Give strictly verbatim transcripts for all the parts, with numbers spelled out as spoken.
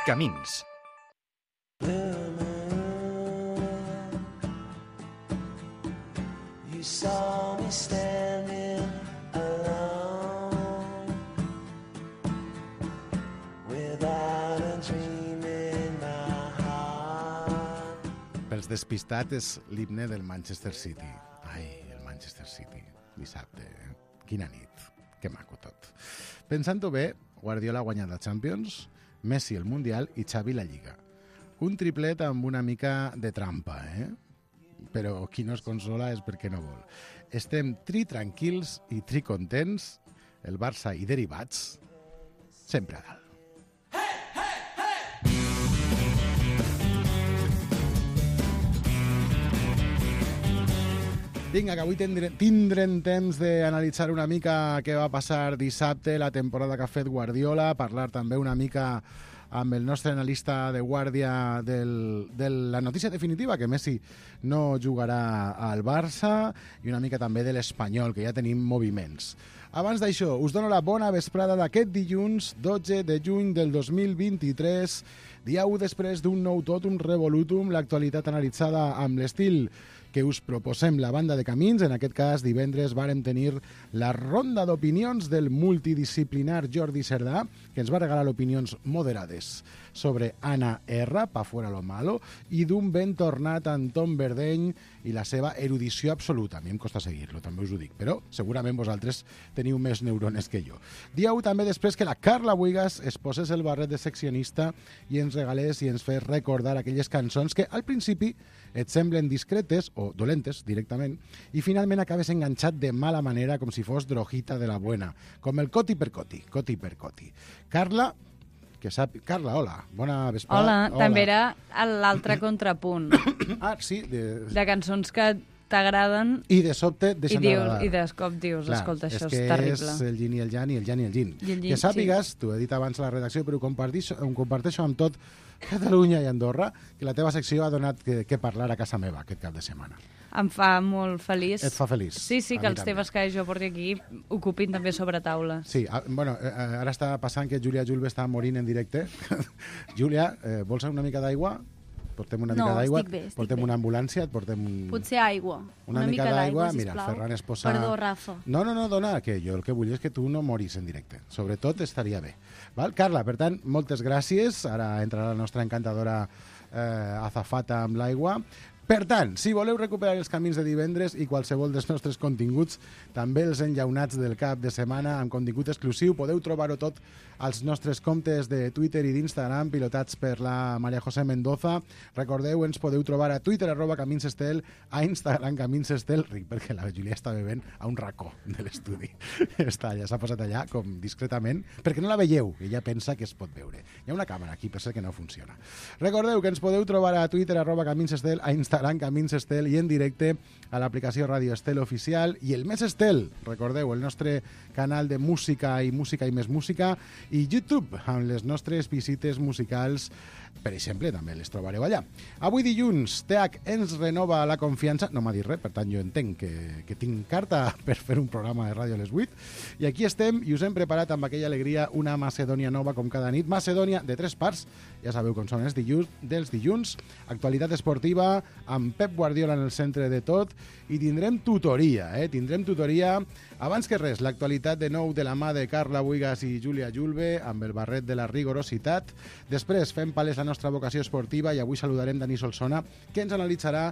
Camins. You saw me standing alone without a dream in my heart. Pels despistats és l'himne del Manchester City. Ai, el Manchester City. Dissabte, eh? Quina nit. Que maco tot. Pensant-ho bé, Guardiola ha guanyat la Champions, Messi el Mundial i Xavi la Lliga. Un triplet amb una mica de trampa, eh? Però qui no es consola és perquè no vol. Estem tri tranquils i tri contents, el Barça i derivats, sempre a dalt. Vinga, que avui tindrem, tindrem temps d'analitzar una mica què va passar dissabte, la temporada que ha fet Guardiola, parlar també una mica amb el nostre analista de guàrdia del, de la notícia definitiva, que Messi no jugarà al Barça, i una mica també de l'Espanyol, que ja tenim moviments. Abans d'això, us dono la bona vesprada d'aquest dilluns, dotze de juny del dos mil vint-i-tres, dia u després d'un nou totum revolutum, l'actualitat analitzada amb l'estil que us proposem la banda de Camins. En aquest cas, divendres vàrem tenir la ronda d'opinions del multidisciplinar Jordi Cerdà, que ens va regalar opinions moderades sobre Ana R, pa fuera lo malo, i d'un ben tornat Anton Verdeny i la seva erudició absoluta. A mi em costa seguir-lo, també us ho dic, però segurament vosaltres teniu més neurones que jo. Dia u també després que la Carla Buigas es posés el barret de seccionista i ens regalés i ens fes recordar aquelles cançons que al principi et semblen discretes o dolentes directament i finalment acabes enganxat de mala manera com si fos drogita de la buena, com el coti per coti, coti per coti. Carla, que sap... Carla, hola, bona vesprada. Hola, hola. També era l'altre contrapunt. Ah, sí. De, de cançons que t'agraden i de sobte deixen i dius, d'agradar. I de cop dius, clar, escolta, això és, és terrible. És el yin i el yang i el yang i el yin. I el yin, que sàpigues, sí. T'ho he dit abans a la redacció, però ho comparteixo, ho comparteixo amb tot Catalunya i Andorra, que la teva secció ha donat que, que parlar a casa meva aquest cap de setmana. Em fa molt feliç. Et fa feliç. Sí, sí, a que els també. temes que jo porti aquí ocupin també sobre taula. Sí, a, bueno, eh, ara està passant que Júlia Julve està morint en directe. Júlia, eh, vols una mica d'aigua? Portem una no, mica d'aigua, estic bé, estic portem bé. una ambulància, et portem... Un... Potser aigua. Una, una mica, mica d'aigua, sisplau. mira, el Ferran es posa... Perdó, Rafa. No, no, no, dona, que jo el que vull és que tu no moris en directe. Sobretot estaria bé. Val? Carla, per tant, moltes gràcies. Ara entrarà la nostra encantadora eh, azafata amb l'aigua. Per tant, si voleu recuperar els camins de divendres i qualsevol dels nostres continguts, també els enllaunats del cap de setmana amb contingut exclusiu, podeu trobar-ho tot als nostres comptes de Twitter i d'Instagram, pilotats per la Maria José Mendoza. Recordeu, ens podeu trobar a Twitter, arroba Camins Estel, a Instagram, Camins Estel, ric perquè la Júlia està bevent a un racó de l'estudi. Està allà, s'ha posat allà, com discretament, perquè no la veieu, ella pensa que es pot veure. Hi ha una càmera aquí, per ser que no funciona. Recordeu que ens podeu trobar a Twitter, arroba Camins Estel, a Instagram, Camins Estel, i en directe a l'aplicació Ràdio Estel Oficial i el Més Estel, recordeu, el nostre canal de música i música i més música, i YouTube, amb les nostres visites musicals, per exemple, també les trobareu allà. Avui dilluns, T H ens renova la confiança, no m'ha dit res, per tant jo entenc que, que tinc carta per fer un programa de ràdio a les vuit, i aquí estem i us hem preparat amb aquella alegria una Macedònia nova com cada nit, Macedònia de tres parts, ja sabeu com són els dilluns, dels dilluns, actualitat esportiva, amb Pep Guardiola en el centre de tot, i tindrem tutoria, eh? tindrem tutoria. Abans que res, l'actualitat de nou de la mà de Carla Buigas i Júlia Julve, amb el barret de la rigorositat. Després fem palès la nostra vocació esportiva i avui saludarem Dani Solsona, que ens analitzarà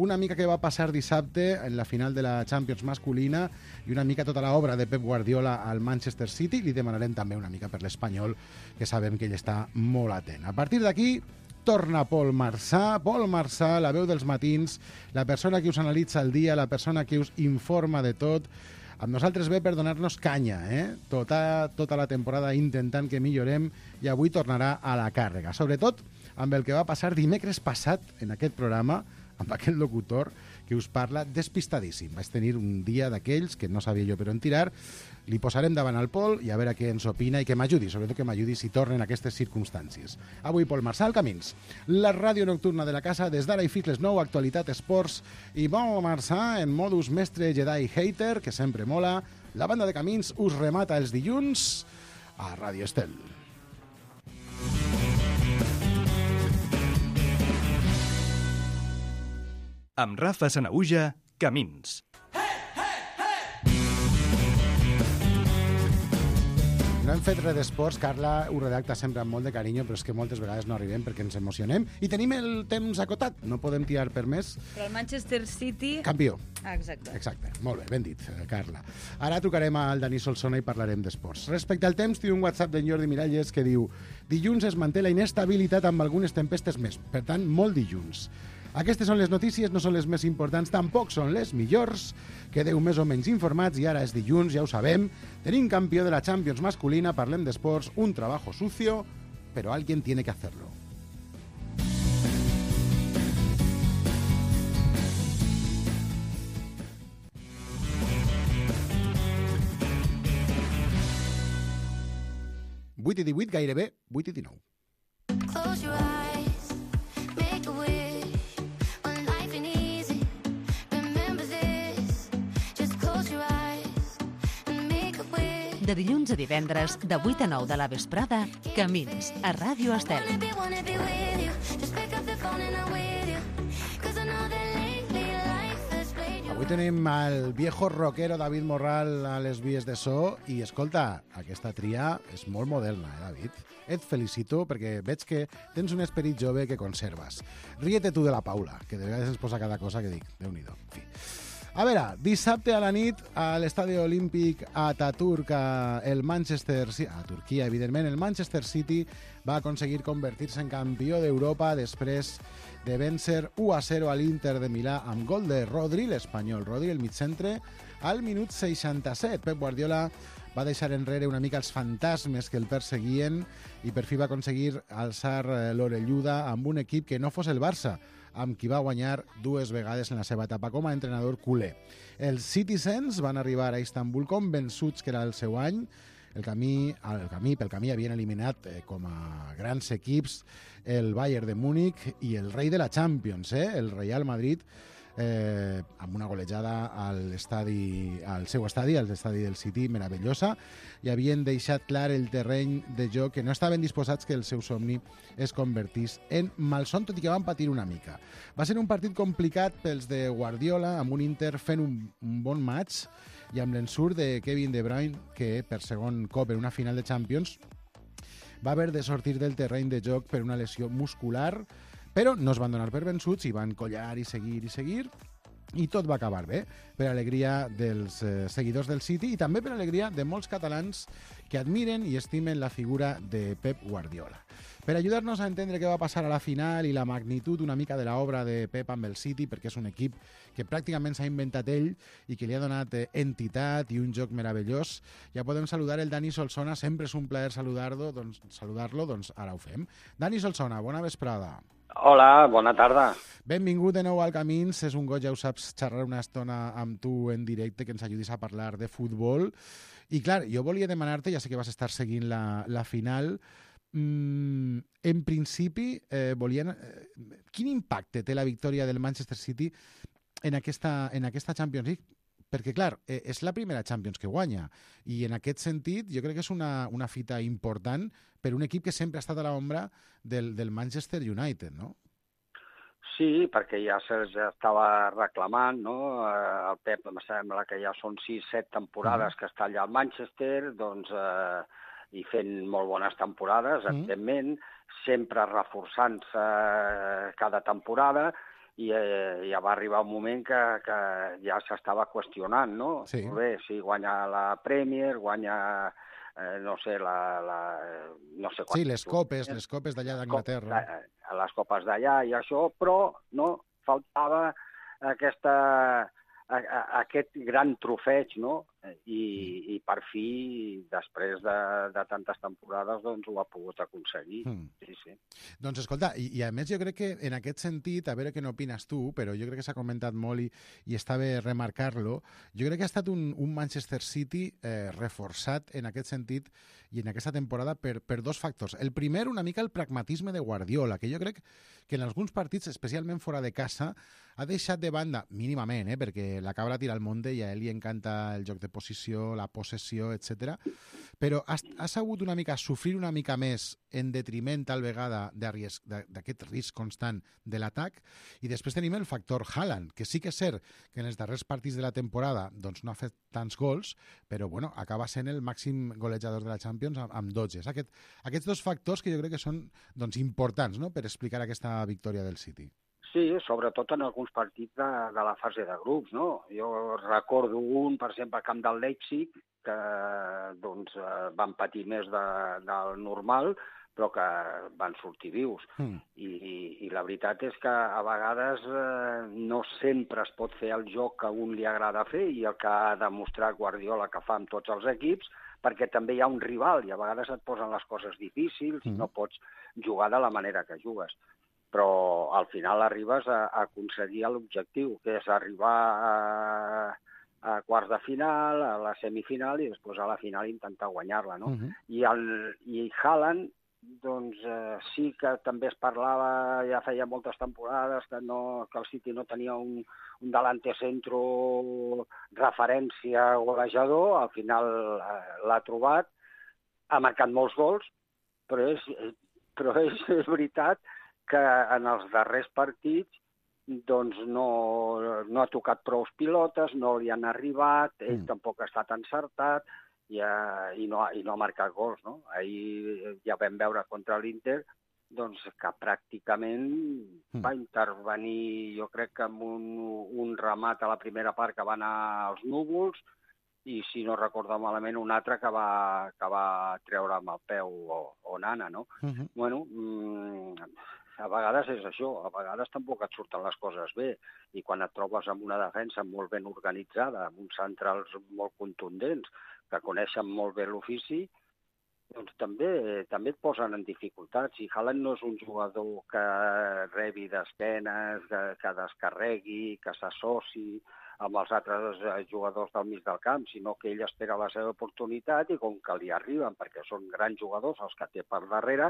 una mica què va passar dissabte en la final de la Champions masculina i una mica tota l'obra de Pep Guardiola al Manchester City. Li demanarem també una mica per l'Espanyol, que sabem que ell està molt atent. A partir d'aquí, torna Pol Marçà. Pol Marçà, la veu dels matins, la persona que us analitza el dia, la persona que us informa de tot. Amb nosaltres ve per donar-nos canya, eh? Tota, tota la temporada intentant que millorem, i avui tornarà a la càrrega. Sobretot amb el que va passar dimecres passat en aquest programa, amb aquest locutor que us parla despistadíssim. Vaig tenir un dia d'aquells que no sabia jo per on tirar. Li posarem davant al Pol i a veure què ens opina i que m'ajudi, sobretot que m'ajudi si tornen aquestes circumstàncies. Avui Pol Marçà al Camins, la ràdio nocturna de la casa, des d'ara i fins les nou, actualitat, esports, i Pol Marçà en modus mestre Jedi hater, que sempre mola. La banda de Camins us remata els dilluns a Ràdio Estel. Amb Rafa Sanahuja, Camins. No hem fet res d'esports, Carla ho redacta sempre amb molt de carinyo, però és que moltes vegades no arribem perquè ens emocionem i tenim el temps acotat, no podem tirar per més. Però el Manchester City... Campió. Ah, exacte. Exacte, molt bé, ben dit, Carla. Ara trucarem al Dani Solsona i parlarem d'esports. Respecte al temps, tinc un WhatsApp d'en Jordi Miralles que diu: dilluns es manté la inestabilitat amb algunes tempestes més, per tant, molt dilluns. Aquestes són les notícies, no són les més importants, tampoc són les millors. Quedeu més o menys informats i ara és dilluns, ja ho sabem. Tenim campió de la Champions masculina, parlem d'esports, un trabajo sucio, però alguien tiene que hacerlo. vuit i divuit, gairebé vuit i dinou. Close your eyes, make a wish. When life ain't easy, remember this. Just close your eyes and make a wish. De dilluns a divendres, de vuit a nou de la vesprada, Camins, a Ràdio Estel. Wanna be, wanna be with you. Just pick up the phone and I'm with you. 'Cause I know that lately life has played you. Avui tenim el viejo rockero David Morral a les vies de so i, escolta, aquesta tria és molt moderna, eh, David? Et felicito perquè veig que tens un esperit jove que conserves. Ríete tu de la Paula, que de vegades ens posa cada cosa que dic. Déu-n'hi-do. En fi. A veure, dissabte a la nit a l'estadi olímpic a Ataturk, el Manchester City, a Turquia, evidentment, el Manchester City va aconseguir convertir-se en campió d'Europa després de vèncer u a zero a l'Inter de Milà amb gol de Rodri, l'espanyol Rodri, el migcentre, al minut seixanta-set. Pep Guardiola va deixar enrere una mica els fantasmes que el perseguien i per fi va aconseguir alçar l'orelluda amb un equip que no fos el Barça, amb qui va guanyar dues vegades en la seva etapa com a entrenador culer. Els Citizens van arribar a Istanbul convençuts que era el seu any. El camí, el camí, pel camí havien eliminat eh, com a grans equips el Bayern de Múnich i el rei de la Champions, eh, el Real Madrid, eh, amb una golejada al, estadi, al seu estadi, al estadi del City, meravellosa, i havien deixat clar el terreny de joc que no estaven disposats que el seu somni es convertís en malson, tot i que van patir una mica. Va ser un partit complicat pels de Guardiola, amb un Inter fent un, un bon match i amb l'ensurt de Kevin De Bruyne, que per segon cop en una final de Champions va haver de sortir del terreny de joc per una lesió muscular, però no es van donar per vençuts i van collar i seguir i seguir, i tot va acabar bé, per alegria dels eh, seguidors del City i també per alegria de molts catalans que admiren i estimen la figura de Pep Guardiola. Per ajudar-nos a entendre què va passar a la final i la magnitud una mica de l'obra de Pep amb el City, perquè és un equip que pràcticament s'ha inventat ell i que li ha donat eh, entitat i un joc meravellós, ja podem saludar el Dani Solsona, sempre és un plaer saludar-lo, doncs, saludar-lo, doncs ara ho fem. Dani Solsona, bona vesprada. Hola, bona tarda. Benvingut de nou al Camins, és un goig, ja ho saps, xerrar una estona amb tu en directe, que ens ajudis a parlar de futbol. I clar, jo volia demanar-te, ja sé que vas estar seguint la, la final, mm, en principi, eh, volien, eh, quin impacte té la victòria del Manchester City en aquesta, en aquesta Champions League? Perquè, clar, eh, és la primera Champions que guanya i en aquest sentit jo crec que és una, una fita important per un equip que sempre ha estat a l'ombra del, del Manchester United, no? Sí, perquè ja se ja estava reclamant, no? Eh, el Pep em sembla que ja són sis, set temporades que està allà al Manchester, doncs, eh, i fent molt bones temporades, evidentment, sempre reforçant-se cada temporada, i eh, ja va arribar un moment que, que ja s'estava qüestionant, no? Sí. Molt bé, sí, guanya la Premier, guanya, eh, no sé, la... la no sé Sí, les copes, les copes d'allà d'Anglaterra. A les copes d'allà i això, però no faltava aquesta, a, a, aquest gran trofeig, no? I, i per fi, després de, de tantes temporades, doncs ho ha pogut aconseguir. Mm. Sí, sí. Doncs escolta, i, i a més jo crec que en aquest sentit, a veure què n'opines tu, però jo crec que s'ha comentat molt i, i està bé remarcar-lo, jo crec que ha estat un, un Manchester City eh, reforçat en aquest sentit i en aquesta temporada per, per dos factors. El primer, una mica el pragmatisme de Guardiola, que jo crec que en alguns partits, especialment fora de casa, ha deixat de banda, mínimament, eh, perquè la cabra tira al monte i a ell li encanta el joc de reposició, la possessió, etcètera. Però has, has hagut una mica sofrir una mica més en detriment tal vegada d'arries- d'a- d'aquest risc constant de l'atac, i després tenim el factor Haaland, que sí que és cert que en els darrers partits de la temporada doncs no ha fet tants gols, però bueno, acaba sent el màxim golejador de la Champions amb, amb dotze. Aquest, aquests dos factors que jo crec que són doncs, importants, no?, per explicar aquesta victòria del City. Sí, sobretot en alguns partits de, de la fase de grups, no? Jo recordo un, per exemple, al camp del Leipzig, que doncs, eh, van patir més de, del normal, però que van sortir vius. Mm. I, i, I la veritat és que a vegades eh, no sempre es pot fer el joc que a un li agrada fer i el que ha demostrat Guardiola que fa amb tots els equips, perquè també hi ha un rival i a vegades et posen les coses difícils i Mm. no pots jugar de la manera que jugues. Però al final arribes a, a aconseguir l'objectiu, que és arribar a, a quarts de final, a la semifinal i després a la final intentar guanyar-la, no? Mhm. I, el, i Haaland, doncs eh, sí que també es parlava, ja feia moltes temporades, que, no, que el City no tenia un, un delante centro referència golejador, al final eh, l'ha trobat, ha marcat molts gols, però és, però és, és veritat que en els darrers partits doncs no, no ha tocat prou pilotes, no li han arribat, ell Mm. tampoc ha estat encertat i, uh, i, no, ha- i no ha marcat gols. No? Ahir ja vam veure contra l'Inter doncs, que pràcticament Mm. va intervenir, jo crec que amb un, un remat a la primera part que va anar als núvols i, si no recordo malament, un altre que va, que va treure amb el peu o, o nana, no? Mhm. Bueno, mm, a vegades és això, a vegades tampoc et surten les coses bé, i quan et trobes amb una defensa molt ben organitzada, amb uns centrals molt contundents, que coneixen molt bé l'ofici, doncs també també et posen en dificultats. I Haaland no és un jugador que rebi d'esquenes, que, que descarregui, que s'associ amb els altres eh, jugadors del mig del camp, sinó que ell espera la seva oportunitat i com que li arriben, perquè són grans jugadors els que té per darrere,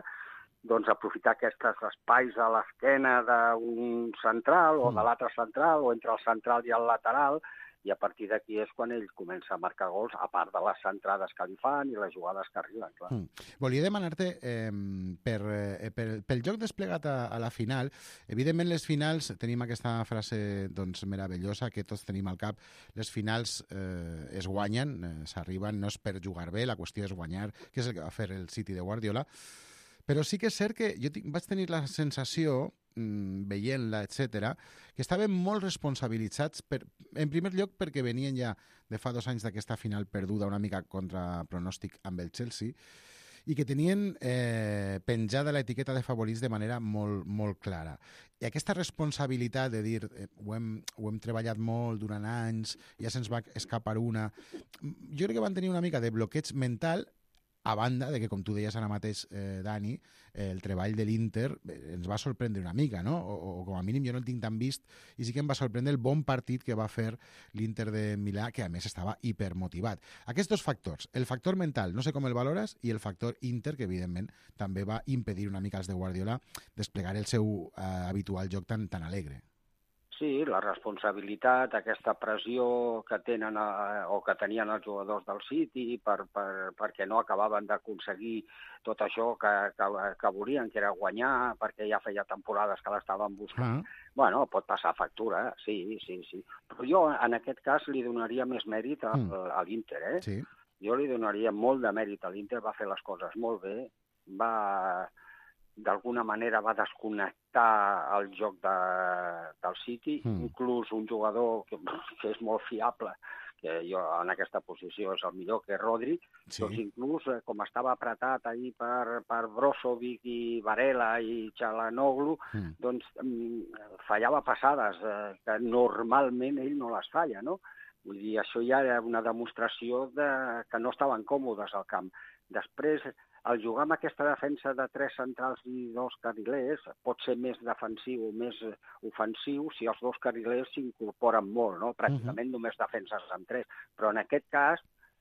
doncs aprofitar aquests espais a l'esquena d'un central o de l'altre central o entre el central i el lateral, i a partir d'aquí és quan ell comença a marcar gols, a part de les centrades que li fan i les jugades que arriben, clar. Mm. Volia demanar-te, eh, per, eh, per, pel joc desplegat a, a la final, evidentment les finals, tenim aquesta frase doncs, meravellosa que tots tenim al cap, les finals eh, es guanyen, eh, s'arriben, no és per jugar bé, la qüestió és guanyar, que és el que va fer el City de Guardiola, però sí que és cert que jo tinc, vaig tenir la sensació, mm, veient-la, etcètera, que estaven molt responsabilitzats, per, en primer lloc perquè venien ja de fa dos anys d'aquesta final perduda una mica contra pronòstic amb el Chelsea, i que tenien eh, penjada l'etiqueta de favorits de manera molt, molt clara. I aquesta responsabilitat de dir eh, ho, hem, ho hem treballat molt durant anys, ja se'ns va escapar una... Jo crec que van tenir una mica de bloqueig mental, a banda de que, com tu deies ara mateix, eh, Dani, eh, el treball de l'Inter eh, ens va sorprendre una mica, no? O, o com a mínim jo no el tinc tan vist, i sí que em va sorprendre el bon partit que va fer l'Inter de Milà, que a més estava hipermotivat. Aquests dos factors, el factor mental, no sé com el valores, i el factor Inter, que evidentment també va impedir una mica als de Guardiola desplegar el seu eh, habitual joc tan, tan alegre. Sí, la responsabilitat, aquesta pressió que tenen eh, o que tenien els jugadors del City per, per, perquè no acabaven d'aconseguir tot això que, que, que volien, que era guanyar, perquè ja feia temporades que l'estaven buscant. Ah. Bueno, pot passar factura, sí, sí, sí. Però jo en aquest cas li donaria més mèrit a, Mm. a l'Inter, eh? Sí. Jo li donaria molt de mèrit a l'Inter, va fer les coses molt bé, va d'alguna manera va desconnectar el joc de, del City, Mm. inclús un jugador que, que és molt fiable, que jo en aquesta posició és el millor, que és Rodri, Sí. doncs inclús eh, com estava apretat ahir per, per Brozovic i Varela i Çalhanoğlu, Mm. doncs mm, fallava passades, eh, que normalment ell no les falla, no? Vull dir, això ja era una demostració de que no estaven còmodes al camp. Després, el jugar amb aquesta defensa de tres centrals i dos carrilers pot ser més defensiu o més ofensiu si els dos carrilers s'incorporen molt, no? Pràcticament només defenses en tres. Però en aquest cas,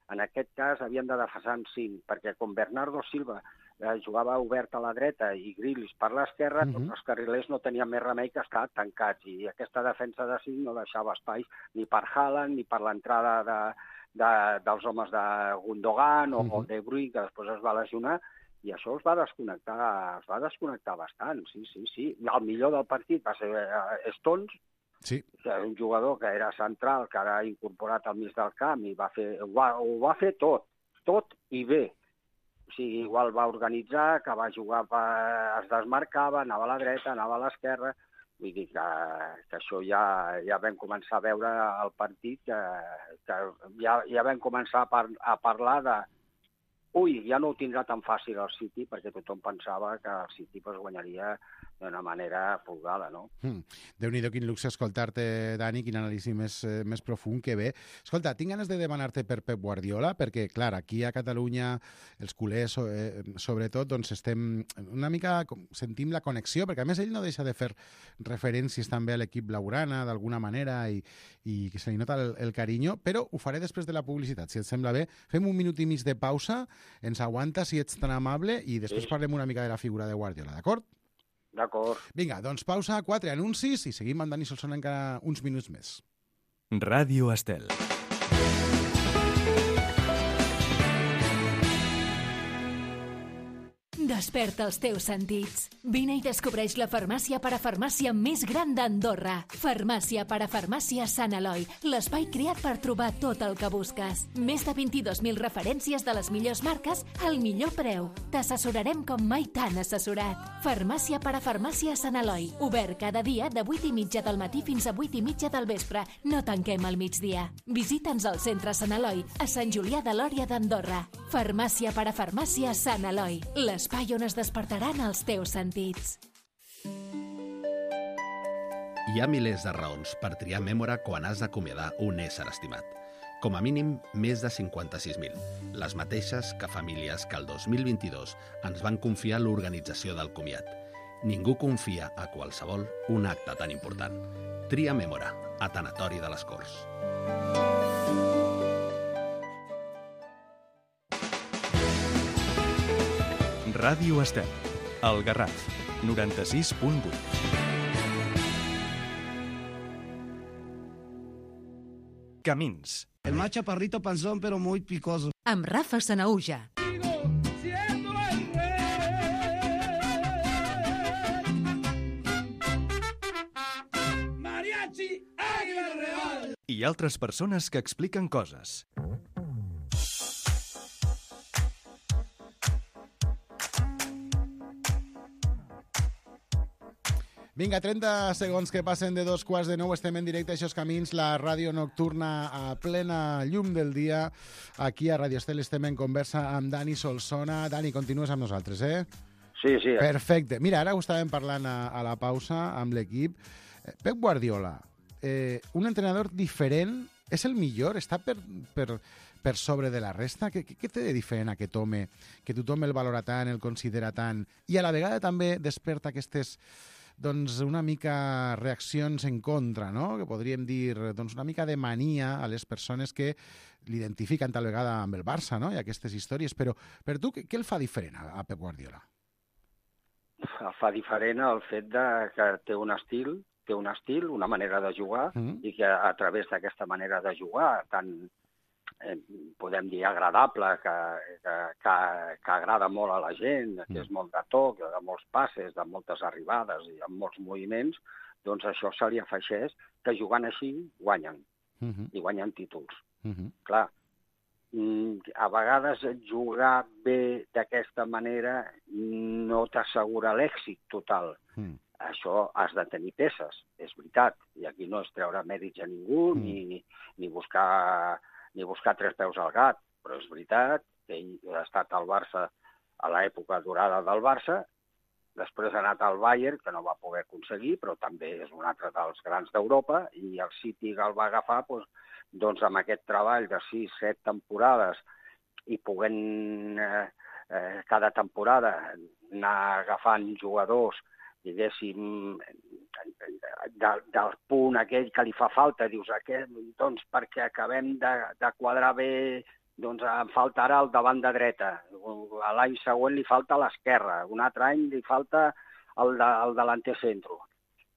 en aquest cas havien de defensar en cinc, perquè com Bernardo Silva eh, jugava obert a la dreta i Grealish per l'esquerra, Mhm. doncs els carrilers no tenien més remei que estar tancats, i aquesta defensa de cinc no deixava espais ni per Haaland ni per l'entrada de, de, dels homes de Gundogan o, Mhm. o de Bruyne, que després es va lesionar, i això es va desconnectar, es va desconnectar bastant, sí, sí, sí. El millor del partit va ser eh, Stones, Sí. que és un jugador que era central, que ara ha incorporat al mig del camp i va fer, ho, va, ho va fer tot, tot i bé. O sigui, igual va organitzar, que va jugar, per, es desmarcava, anava a la dreta, anava a l'esquerra. Vull dir que, que això ja, ja vam començar a veure el partit, que, que ja, ja vam començar a, par, a parlar de ui, ja no ho tindrà tan fàcil el City, perquè tothom pensava que el City pues, guanyaria d'una manera folgada, no? Mm. Déu-n'hi-do, quin luxe escoltar-te, Dani, quin anàlisi més, eh, més profund que bé. Escolta, tinc ganes de demanar-te per Pep Guardiola, perquè, clar, aquí a Catalunya, els culers, eh, sobretot, doncs estem una mica, sentim la connexió, perquè a més ell no deixa de fer referències també a l'equip blaugrana, d'alguna manera, i, i que se li nota el, el carinyo, però ho faré després de la publicitat, si et sembla bé. Fem un minut i mig de pausa, ens aguanta, si ets tan amable, i després Sí. parlem una mica de la figura de Guardiola, d'acord? D'acord. Vinga, doncs pausa, quatre anuncis i seguim amb Dani Solsona encara uns minuts més. Ràdio Estel. Desperta els teus sentits. Vine i descobreix la farmàcia parafarmàcia més gran d'Andorra. Farmàcia parafarmàcia Sant Eloi, l'espai creat per trobar tot el que busques. Més de vint-i-dos mil referències de les millors marques al millor preu. T'assessorarem com mai t'han assessorat. Farmàcia parafarmàcia Sant Eloi, obert cada dia de vuit i mitja del matí fins a vuit i mitja del vespre. No tanquem al migdia. Visita'ns al centre Sant Eloi, a Sant Julià de Lòria d'Andorra. Farmàcia parafarmàcia Sant Eloi, l'espai on es despertaran els teus sentits. Hi ha milers de raons per triar Mèmora quan has d'acomiadar un ésser estimat. Com a mínim, més de cinquanta-sis mil. Les mateixes que famílies que el dos mil vint-i-dos ens van confiar l'organització del comiat. Ningú confia a qualsevol un acte tan important. Tria Mèmora, a Tanatori de les Corts. Ràdio Estel. El Garraf. noranta-sis punt vuit. Camins. El más chaparrito panzón, pero muy picoso. Amb Rafa Sanaúja. Mariachi, Águila Real. I altres persones que expliquen coses. Vinga, trenta segons que passen de dos quarts de nou. Estem en directe, això és Camins, la ràdio nocturna a plena llum del dia. Aquí a Ràdio Estel estem en conversa amb Dani Solsona. Dani, continues amb nosaltres, eh? Sí, sí. Perfecte. Mira, ara ho estàvem parlant a, a la pausa amb l'equip. Eh, Pep Guardiola, eh, un entrenador diferent, és el millor? Està per, per, per sobre de la resta? Què, què té de diferent aquest home, que tothom el valora tant, el considera tant, i a la vegada també desperta aquestes, doncs, una mica reaccions en contra, no? Que podríem dir, doncs, una mica de mania a les persones que l'identifiquen tal vegada amb el Barça, no? I aquestes històries. Però per tu, què, què el fa diferent a, a Pep Guardiola? El fa diferent el fet de que té un estil, té un estil, una manera de jugar, Mm. i que a través d'aquesta manera de jugar, tan, eh, podem dir, agradable, que, que, que, que agrada molt a la gent, que Mm. és molt de toc, de molts passes, de moltes arribades i amb molts moviments, doncs això se li afegeix que jugant així guanyen, Uh -huh. i guanyen títols. Uh -huh. Clar, mm, a vegades jugar bé d'aquesta manera no t'assegura l'èxit total. Mm. Això has de tenir peces, és veritat, i aquí no és treure mèrits a ningú, Mm. ni, ni, buscar, ni buscar tres peus al gat, però és veritat que ell ha estat al Barça a l'època dorada del Barça, després ha anat al Bayern, que no va poder aconseguir, però també és un altre dels grans d'Europa, i el City el va agafar doncs, doncs amb aquest treball de sis, set temporades, i poguent eh, eh, cada temporada anar agafant jugadors, diguéssim, de, del punt aquell que li fa falta, dius, aquest, doncs perquè acabem de, de quadrar bé, doncs em falta ara el davant de dreta, a l'any següent li falta l'esquerra, un altre any li falta el, de, el delanter centro.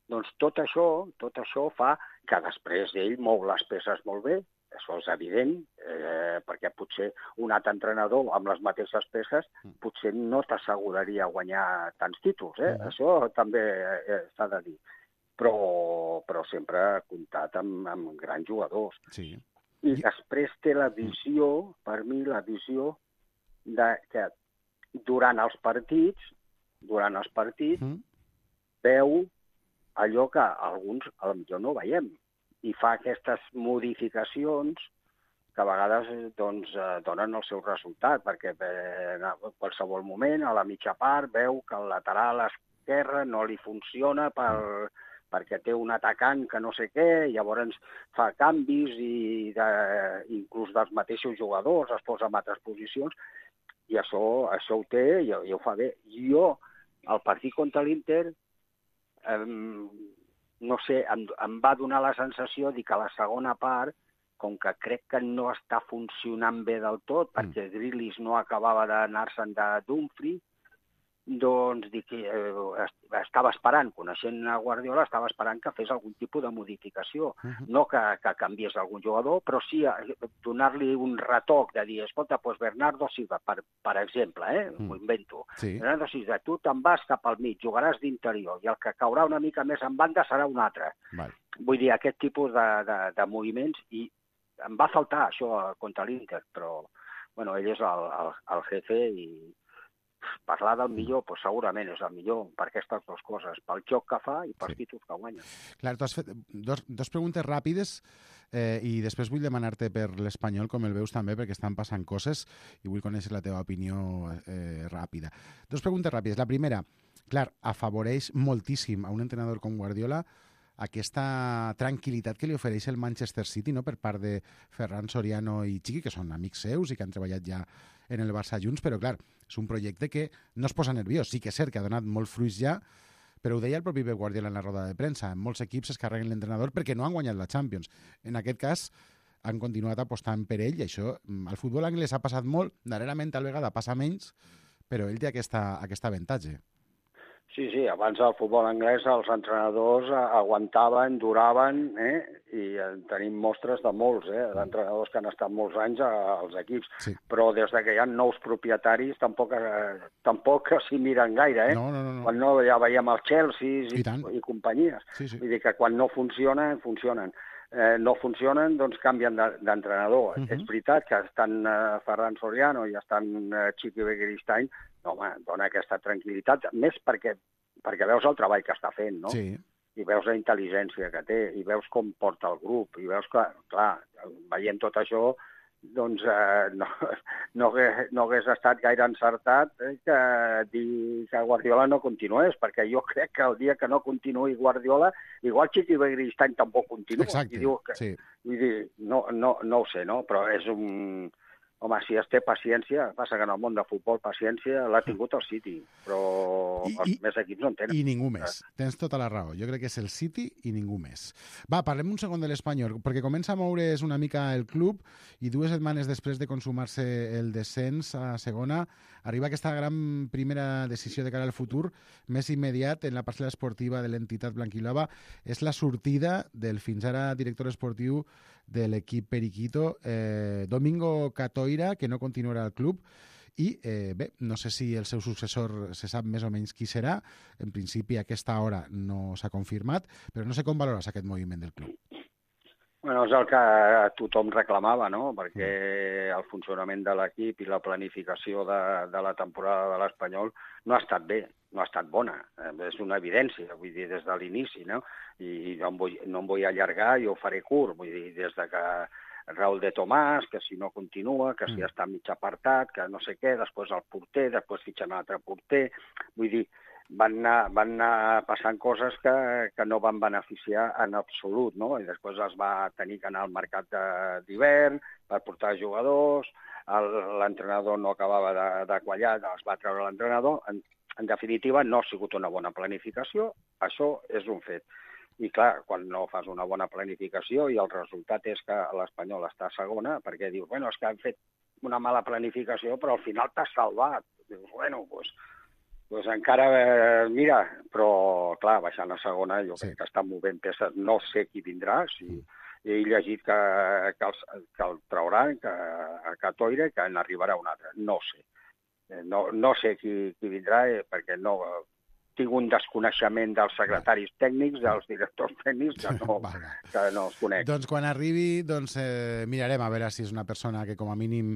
Doncs tot això, tot això fa que després ell mou les peces molt bé, això és evident, eh, perquè potser un altre entrenador amb les mateixes peces potser no t'asseguraria guanyar tants títols, eh? Mhm. Això també eh, s'ha de dir. Però, però sempre ha comptat amb, amb grans jugadors. Sí. I després té la visió, per mi, la visió de que durant els partits, durant els partits, Mm. veu allò que alguns potser no veiem i fa aquestes modificacions que a vegades doncs, eh, donen el seu resultat, perquè eh, en qualsevol moment, a la mitja part, veu que el lateral esquerre no li funciona per, perquè té un atacant que no sé què, llavors fa canvis i de, inclús dels mateixos jugadors, es posa en altres posicions, i això, això ho té i, i ho fa bé. Jo, al partit contra l'Inter, eh, no sé, em, em va donar la sensació de que la segona part, com que crec que no està funcionant bé del tot, perquè Grealish no acabava d'anar-se'n de Dumfries, doncs dic, eh, estava esperant, coneixent a Guardiola, estava esperant que fes algun tipus de modificació. Mhm. No que, que canviés algun jugador, però sí eh, donar-li un retoc de dir, escolta, doncs Bernardo Silva, per, per exemple, eh, Mm. m'ho invento. Sí. Bernardo Silva, tu te'n vas cap al mig, jugaràs d'interior, i el que caurà una mica més en banda serà un altre. Val. Vull dir, aquest tipus de, de, de moviments, i em va faltar això contra l'Inter, però bueno, ell és el, el, el jefe i parlar del millor, pues, segurament és el millor per aquestes dues coses, pel joc que fa i pels Sí. títols que guanya. Clar, tu has fet dos, dos preguntes ràpides eh, i després vull demanar-te per l'Espanyol com el veus també, perquè estan passant coses i vull conèixer la teva opinió eh, ràpida. Dos preguntes ràpides. La primera, clar, afavoreix moltíssim a un entrenador com Guardiola aquesta tranquil·litat que li ofereix el Manchester City, no?, per part de Ferran Soriano i Chiqui, que són amics seus i que han treballat ja en el Barça junts, però clar, és un projecte que no es posa nerviós. Sí que és cert que ha donat molts fruits ja, però ho deia el propi Pep Guardiola en la roda de premsa. En molts equips es carreguen l'entrenador perquè no han guanyat la Champions. En aquest cas, han continuat apostant per ell i això, al futbol anglès ha passat molt, darrerament tal vegada passa menys, però ell té aquesta, aquest avantatge. Sí, sí, abans al futbol anglès els entrenadors aguantaven, duraven, eh? I tenim mostres de molts, eh? d'entrenadors que han estat molts anys als equips, sí. Però des de que hi ha nous propietaris tampoc, eh, tampoc s'hi miren gaire, eh? No, no, no, no. Quan no ja veiem els Chelsea i, I, i companyies. Sí, sí. Vull dir que quan no funcionen, funcionen. Eh, no funcionen, doncs canvien d'entrenador. Uh-huh. És veritat que estan eh, Ferran Soriano i estan eh, Chiqui Begiristain, no, home, dona aquesta tranquil·litat, més perquè, perquè veus el treball que està fent, no? Sí. I veus la intel·ligència que té, i veus com porta el grup, i veus que, clar, veient tot això, doncs eh, no, no, hagués, no hagués estat gaire encertat eh, que dir que Guardiola no continués, perquè jo crec que el dia que no continuï Guardiola, igual Chiqui Begiristain tampoc continua. Exacte, I diu que, sí. Vull dir, no, no, no ho sé, no? Però és un... Home, si es té paciència, passa que en el món de futbol paciència l'ha tingut el City, però I, els i, més equips no en tenen. I ningú més. Tens tota la raó. Jo crec que és el City i ningú més. Va, parlem un segon de l'Espanyol, perquè comença a moure's una mica el club i dues setmanes després de consumar-se el descens a segona, arriba aquesta gran primera decisió de cara al futur, més immediat en la parcel·la esportiva de l'entitat blanquilava, és la sortida del fins ara director esportiu de l'equip Periquito, eh, Domingo Catoira, que no continuarà al club, i eh, bé, no sé si el seu successor se sap més o menys qui serà, en principi a aquesta hora no s'ha confirmat, però no sé com valores aquest moviment del club. Bueno, és el que tothom reclamava, no?, perquè el funcionament de l'equip i la planificació de, de la temporada de l'Espanyol no ha estat bé, no ha estat bona. És una evidència, vull dir, des de l'inici, no? I no em vull, no em vull allargar, jo ho faré curt, vull dir, des de que Raúl de Tomàs, que si no continua, que si està mig apartat, que no sé què, després el porter, després fitxen un altre porter, vull dir, van anar, van anar passant coses que, que no van beneficiar en absolut, no? I després es va tenir que anar al mercat d'hivern per portar jugadors, l'entrenador no acabava de, de quallar, es va treure l'entrenador. En, en definitiva, no ha sigut una bona planificació, això és un fet. I clar, quan no fas una bona planificació i el resultat és que l'Espanyol està a segona, perquè dius, bueno, és que han fet una mala planificació, però al final t'has salvat. Dius, bueno, doncs... Pues, Pues encara, eh, mira, però clar, baixant a segona jo sí. crec que estan movent peces, no sé qui vindrà, si, he llegit que, que, el, que el trauran, que, que Toire, que n'arribarà un altre. No sé. No, no sé qui, qui vindrà, eh, perquè no... Tinc un desconeixement dels secretaris tècnics, dels directors tècnics, que no, que no els conec. Doncs quan arribi, doncs, eh, mirarem a veure si és una persona que com a mínim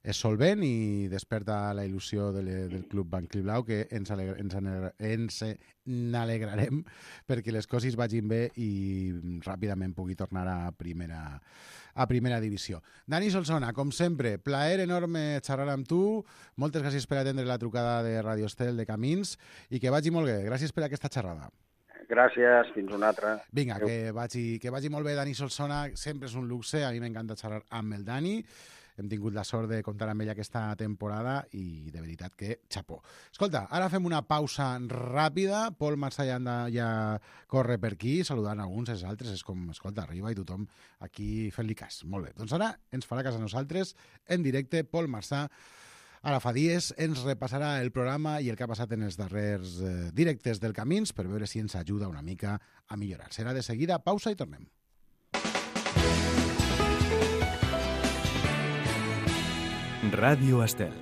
és solvent i desperta la il·lusió de le, del Club Banc Blau, que ens, alegre, ens, alegre, ens n'alegrarem perquè les coses vagin bé i ràpidament pugui tornar a primera, a primera divisió. Dani Solsona, com sempre, plaer enorme xerrar amb tu. Moltes gràcies per atendre la trucada de Radio Estel de Camins i que vagi molt bé. Gràcies per aquesta xerrada. Gràcies, fins una altra. Vinga, que vagi, que vagi molt bé, Dani Solsona. Sempre és un luxe, a mi m'encanta xerrar amb el Dani. Hem tingut la sort de comptar amb ell aquesta temporada i de veritat que xapó. Escolta, ara fem una pausa ràpida. Pol Marsà ja, anda, ja corre per aquí, saludant alguns, els altres. És com, escolta, arriba i tothom aquí fent-li cas. Molt bé. Doncs ara ens farà cas a nosaltres en directe. Pol Marsà, ara fa dies, ens repassarà el programa i el que ha passat en els darrers eh, directes del Camins per veure si ens ajuda una mica a millorar. Serà de seguida, pausa i tornem. Ràdio Estel.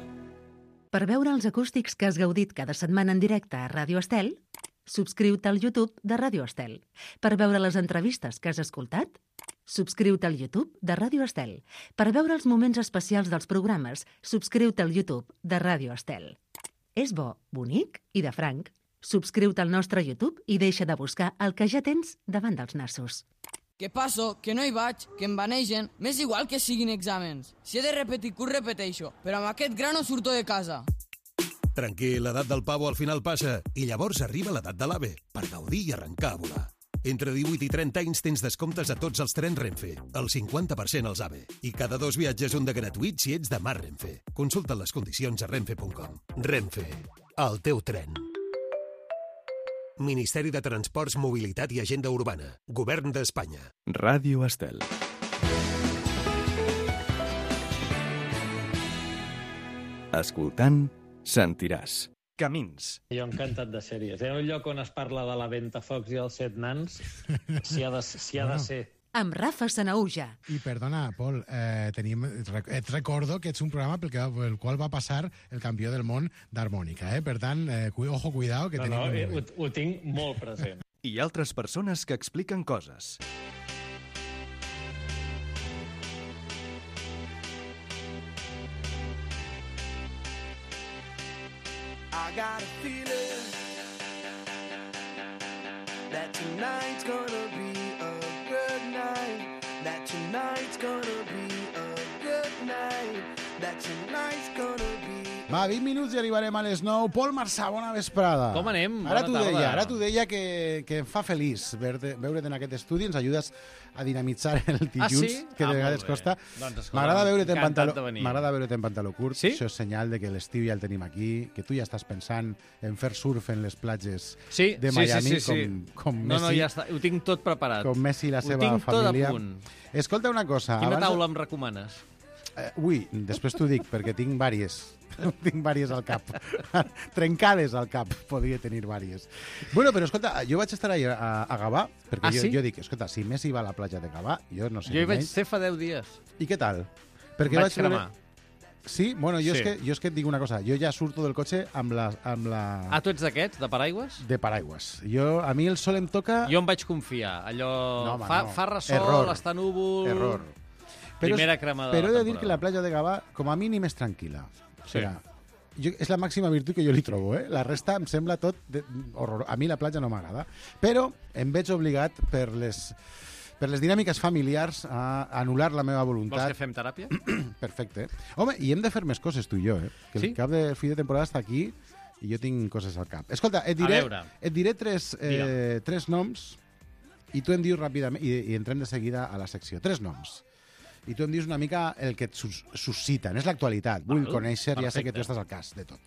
Per veure els acústics que has gaudit cada setmana en directe a Ràdio Estel, subscriu-te al YouTube de Ràdio Estel. Per veure les entrevistes que has escoltat, subscriu-te al YouTube de Ràdio Estel. Per veure els moments especials dels programes, subscriu-te al YouTube de Ràdio Estel. És bo, bonic i de franc. Subscriu-te al nostre YouTube i deixa de buscar el que ja tens davant dels nassos. Que passo, que no hi vaig, que em vanegen, m'és igual que siguin exàmens. Si he de repetir curs, repeteixo, però amb aquest gra no surto de casa. Tranquil, l'edat del pavo al final passa i llavors arriba l'edat de l'AVE per gaudir i arrencar a volar. Entre divuit i trenta anys tens descomptes a tots els trens Renfe, el cinquanta per cent als AVE, i cada dos viatges un de gratuït si ets de Mar Renfe. Consulta les condicions a renfe punt com. Renfe, el teu tren. Ministeri de Transports, Mobilitat i Agenda Urbana. Govern d'Espanya. Ràdio Estel. Escoltant, sentiràs. Camins. Jo encantat de sèries. Hi ha un lloc on es parla de la Ventafocs i els set nans, si ha de, si ha de ser. Amb Rafa Sanauja. I perdona, Pol, eh, tenim, et recordo que ets un programa pel, que, pel qual va passar el campió del món d'harmònica, eh? Per tant, eh, cu, ojo, cuidao, que no, tenim... No, eh, ho, ho tinc molt present. I altres persones que expliquen coses. I got a feeling that tonight's gonna be a good night. That tonight's gonna be a good night. That tonight's gonna be... Va, vint minuts i arribarem a les nou. Pol Marsà, bona vesprada. Com anem? Ara Bona t'ho tarda. deia, ara t'ho deia que, que em fa feliç veure-te veure en aquest estudi. Ens ajudes a dinamitzar el dilluns, Ah, sí? que de Ah, vegades molt bé. costa. Doncs, escolta, M'agrada veure't en encantat pantaló, de venir. m'agrada veure't en pantaló curt. Sí? Això és senyal de que l'estiu ja el tenim aquí, que tu ja estàs pensant en fer surf en les platges Sí, de sí, Miami, sí, sí, sí. com, com No, Messi. no, ja està. Ho tinc tot preparat. Com Messi i la Ho seva tinc família. tot a punt. Escolta una cosa. Quina abans- taula em recomanes? Eh, ui, després t'ho dic, perquè tinc vàries. tinc vàries al cap. Trencades al cap, podria tenir vàries. Bueno, però escolta, jo vaig estar ahir a, a Gavà, perquè Ah, jo, sí? jo dic, escolta, si Messi va a la platja de Gavà, jo no sé Jo hi ni vaig menys. ser fa deu dies. I què tal? Perquè Vaig vaig veure- cremar. Sí? Bueno, jo, Sí. És que, jo és que et dic una cosa, jo ja surto del cotxe amb la... Amb la... Ah, tu ets d'aquests, de paraigües? De paraigües. Jo, a mi el sol em toca... Jo em vaig confiar. Allò... No, home, fa, no. fa ressol, Error. està núvol... Error. Primera cremada de Però la he de dir temporada. que la platja de Gavà, com a mínim, és tranquil·la. O Sí. sigui, jo, és la màxima virtut que jo li trobo, eh? La resta em sembla tot de, horror. A mi la platja no m'agrada. Però em veig obligat per les, per les dinàmiques familiars a anul·lar la meva voluntat. Vols que fem teràpia? Perfecte. Home, i hem de fer més coses, tu i jo, eh? Que Sí? el cap de fi de temporada està aquí i jo tinc coses al cap. Escolta, et A diré, veure. et diré tres, eh, tres noms i tu em dius ràpidament, i, i entrem de seguida a la secció. Tres noms. I tu em dius una mica el que et sus susciten. És l'actualitat. Vull Val, conèixer, ja sé que perfecte. tu estàs al cas de tot.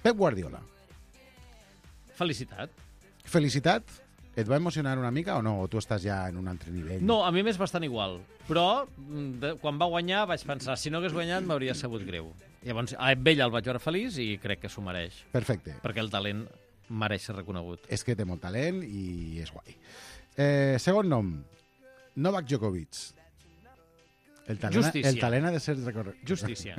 Pep Guardiola. Felicitat. Felicitat. Et va emocionar una mica o no? O tu estàs ja en un altre nivell? No, a mi m'és bastant igual. Però, mm, de, quan va guanyar, vaig pensar, si no hagués guanyat, m'hauria sabut greu. Llavors, a ell el vaig veure feliç i crec que s'ho mereix. Perfecte. Perquè el talent mereix ser reconegut. És que té molt talent i és guai. Eh, segon nom. Novak Djokovic. El talent, Justícia. el talent ha de ser recorregut. Justícia.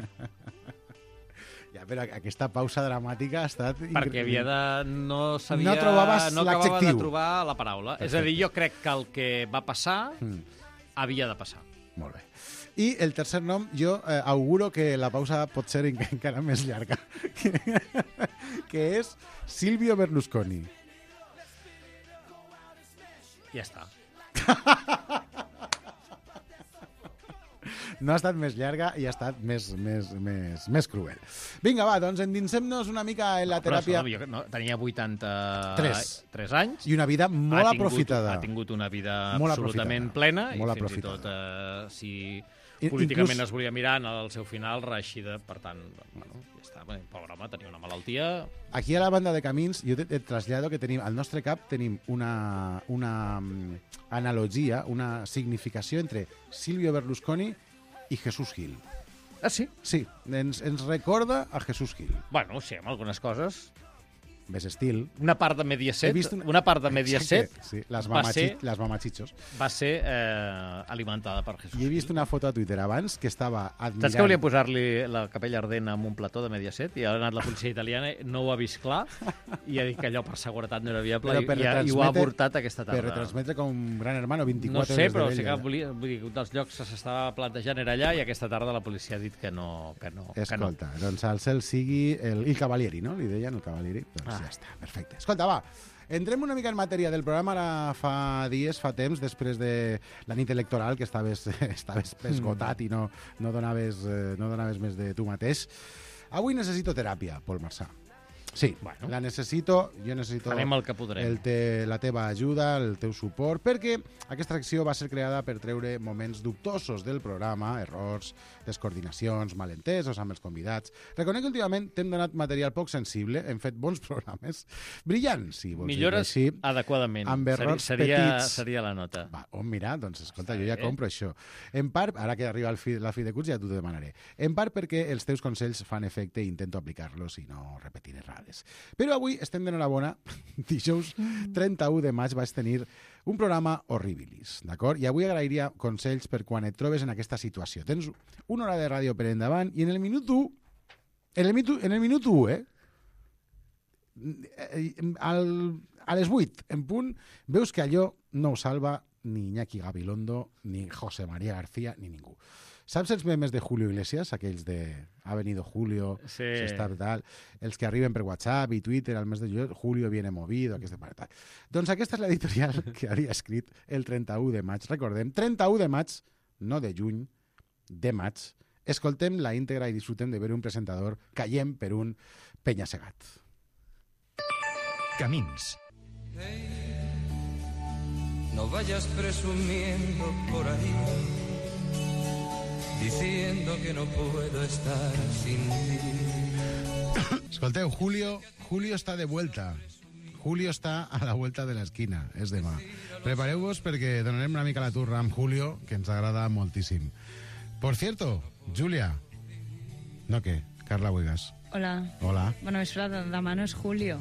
Ja, però aquesta pausa dramàtica ha estat... Perquè havia de... No sabia... No trobaves no acabava de l'adjectiu. trobar la paraula. Perfecte. És a dir, jo crec que el que va passar Mm. havia de passar. Molt bé. I el tercer nom, jo eh, auguro que la pausa pot ser en- encara més llarga, que és Silvio Berlusconi. Ja està. No ha estat més llarga i ha estat més, més, més, més cruel. Vinga, va, doncs endinsem-nos una mica en la Però teràpia... escolta, jo no, tenia Tres. vuitanta-tres anys. I una vida molt ha tingut, aprofitada. Ha tingut una vida Molt absolutament aprofitada. plena Molt i fins aprofitada. i tot, eh, si I- políticament inclús- es volia mirar en el seu final, reeixida. Per tant, bueno, ja està. Bé, pobre home, tenia una malaltia... Aquí a la banda de camins, jo et, et trasllado que tenim, al nostre cap tenim una, una mm, analogia, una significació entre Silvio Berlusconi i Jesús Gil. Ah, sí? Sí, ens, ens recorda a Jesús Gil. Bueno, sí, amb algunes coses. Més estil. Una part de Mediaset, He vist una... una- una part de Mediaset Exacte, sí, les, va, mamachi... ser, les mamachichos. va ser eh, alimentada per Jesús. I he vist una foto a Twitter abans que estava admirant... Saps que volia posar-li la capella ardent amb un plató de Mediaset i ha anat la policia italiana, no ho ha vist clar i ha dit que allò per seguretat no era viable Però i, per i, ha- i ho ha retransmetre- avortat aquesta tarda. Per retransmetre com Gran Hermano No vint-i-quatre sé, hores però de sí que vella. volia, vull dir, un dels llocs que s'estava plantejant era allà i aquesta tarda la policia ha dit que no. Que no que no. Escolta, doncs al cel sigui el, el Cavalieri, no? Li deien el Cavalieri. Doncs Ah. ja està, perfecte. Escolta, va, entrem una mica en matèria del programa. Ara fa dies, fa temps, després de la nit electoral, que estaves, estaves esgotat i no, no, donaves, eh, no donaves més de tu mateix. Avui necessito teràpia, Pol Marçà. Sí, bueno. La necessito, jo necessito Farem el que podrem. el te, la teva ajuda, el teu suport, perquè aquesta acció va ser creada per treure moments dubtosos del programa, errors, descoordinacions, malentesos amb els convidats. Reconec que últimament t'hem donat material poc sensible, hem fet bons programes, brillants, si vols Millores dir-ho així, adequadament. amb errors seria, petits. seria la nota. Va, on mirar? Doncs escolta, Sí. jo ja compro això. En part, ara que arriba el fi, la fi de curs ja t'ho demanaré. En part perquè els teus consells fan efecte i intento aplicar-los i no repetir errades. Però avui estem d'enhorabona. Dijous trenta-u de maig vaig tenir un programa horribilis, d'acord? I avui agrairia consells per quan et trobes en aquesta situació. Tens una hora de ràdio per endavant i en el minut u, en el minut, en el minut u, eh? Al, a les vuit, en punt, veus que allò no ho salva ni Iñaki Gabilondo, ni José María García, ni ningú. Saps els memes de Julio Iglesias, aquells de ha venido Julio, Sí. se està tal, els que arriben per WhatsApp i Twitter al mes de juliol, Julio viene movido, aquesta part tal. Doncs aquesta és l'editorial que havia escrit el trenta-u de maig. Recordem, trenta-u de maig, no de juny, de maig. Escoltem la íntegra i disfrutem de veure un presentador caient per un penya-segat. Camins. No vayas presumiendo por ahí, diciendo que no puedo estar sin ti. Escolteu, Julio, Julio està de vuelta. Julio està a la vuelta de l'esquina, és demà. Prepareu-vos perquè donarem una mica la turra amb Julio, que ens agrada moltíssim. Por cierto, Júlia. No, què? Carla Huegas. Hola. Hola. Bueno, és verdad, demà no és Julio.